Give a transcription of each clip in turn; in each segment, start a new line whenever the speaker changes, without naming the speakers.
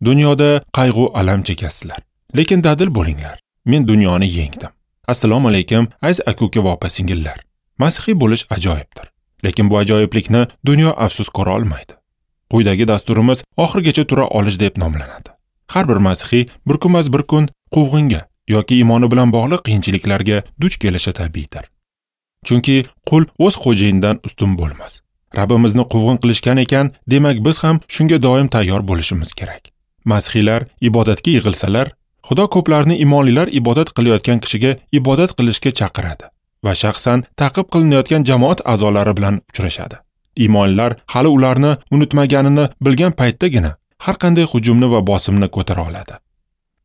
Dunyoda qayg'u alam chekasizlar, lekin dadil bo'linglar. Men dunyoni yengdim. Assalomu alaykum, aziz aka-uka va opa-singillar. Masihiy bo'lish ajoyibdir, lekin bu ajoyiblikni dunyo afsus ko'ra olmaydi. Quyidagi dasturimiz oxirigacha tura olish deb nomlanadi. Har bir masihiy bir kunmas bir kun quvg'inga yoki iymoni bilan bog'liq qiyinchiliklarga duch kelishi tabiiydir. Chunki qul o'z xo'jayinidan ustun bo'lmas. Rabbimizni quvg'in qilishgan ekan, demak biz ham shunga doim tayyor bo'lishimiz kerak. Masihiylar ibodatga yig'ilsalar, Xudo ko'plarni iymonlilar ibodat qilayotgan kishiga ibodat qilishga chaqiradi va shaxsan ta'qib qilinayotgan jamoat a'zolari bilan uchrashadi. Iymonlilar hali ularni unutmaganini bilgan paytdagina har qanday hujumni va bosimni ko'tara oladi.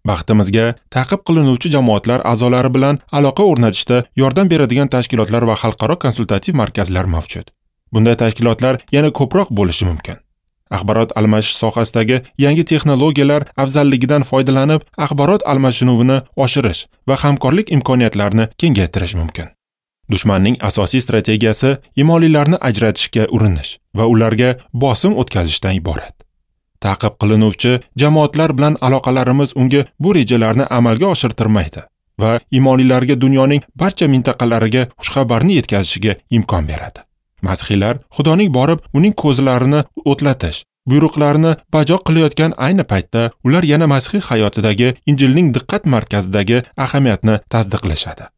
Baxtimizga, ta'qib qilinuvchi jamoatlar a'zolari bilan aloqa o'rnatishda yordam beradigan tashkilotlar va xalqaro konsultativ markazlar mavjud. Bunday tashkilotlar yana ko'proq bo'lishi mumkin. Axborot almashish sohasidagi yangi texnologiyalar afzalligidan foydalanib, axborot almashinuvini oshirish va hamkorlik imkoniyatlarini kengaytirish mumkin. Dushmanning asosiy strategiyasi iymonlilarni ajratishga urinish va ularga bosim o'tkazishdan iborat. Ta'qib qilinuvchi jamoatlar bilan aloqalarimiz unga bu rejalarni amalga oshirtirmaydi va iymonlilarga dunyoning barcha mintaqalariga xushxabarni yetkazishiga imkon beradi. Masihiylar Xudoning borib uning ko'zlarini o'tlatish, buyruqlarini bajo qilayotgan ayni paytda ular yana masihiy hayotidagi Injilning diqqat markazidagi ahamiyatni tasdiqlashadi.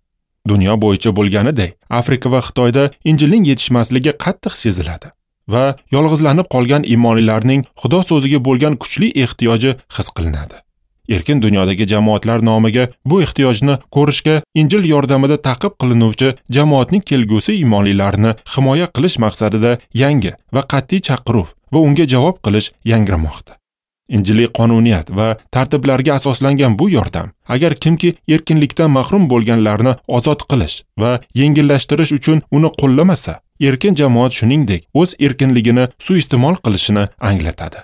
Dunyo bo'yicha bo'lganidek, Afrika va Xitoyda Injilning yetishmasligi qattiq seziladi va yolg'izlanib qolgan iymonlilarning Xudo so'ziga bo'lgan kuchli ehtiyoji his qilinadi. Erkin dunyodagi jamoatlar nomiga bu ehtiyojni ko'rishga Injil yordamida ta'qib qilinuvchi jamoatning kelgusi iymonlilarini himoya qilish maqsadida yangi va qat'iy chaqiruv va unga javob qilish yangramoqda. Injiliy qonuniyat va tartiblarga asoslangan bu yordam, agar kimki erkinlikdan mahrum bo'lganlarni ozod qilish va yengillashtirish uchun uni qo'llamasa, erkin jamoat shuningdek o'z erkinligini suiiste'mol qilishini anglatadi.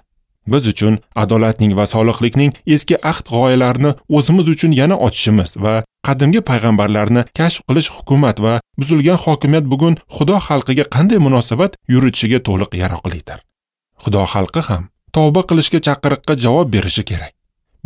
Biz uchun adolatning va solihlikning eski ahd g'oyalarini o'zimiz uchun yana ochishimiz va qadimgi payg'ambarlarni kashf qilish hukumat va buzilgan hokimiyat bugun Xudo xalqiga qanday munosabat yuritishiga to'liq yaroqlidir. Xudo xalqi ham tavba qilishga chaqiriqqa javob berishi kerak.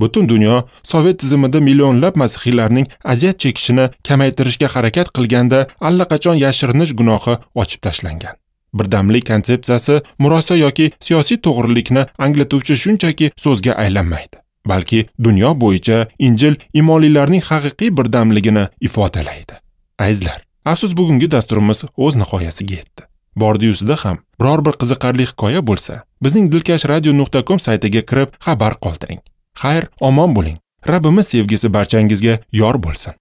Butun dunyo Sovet tizimida millionlab masihiylarning aziyat chekishini kamaytirishga harakat qilganda allaqachon yashirinish gunohi ochib tashlangan. Birdamlik konsepsiyasi murosa yoki siyosiy to'g'rilikni anglatuvchi shunchaki so'zga aylanmaydi, balki dunyo bo'yicha Injil iymonlilarning haqiqiy birdamligini ifodalaydi. Azizlar, afsus bugungi dasturimiz o'z nihoyasiga yetdi. Bordi-yusida ham biror bir qiziqarli hikoya bo'lsa, bizning dilkashradio.com saytiga kirib xabar qoldiring. Xayr, omon bo'ling. Rabbimiz sevgisi barchangizga yor bo'lsin.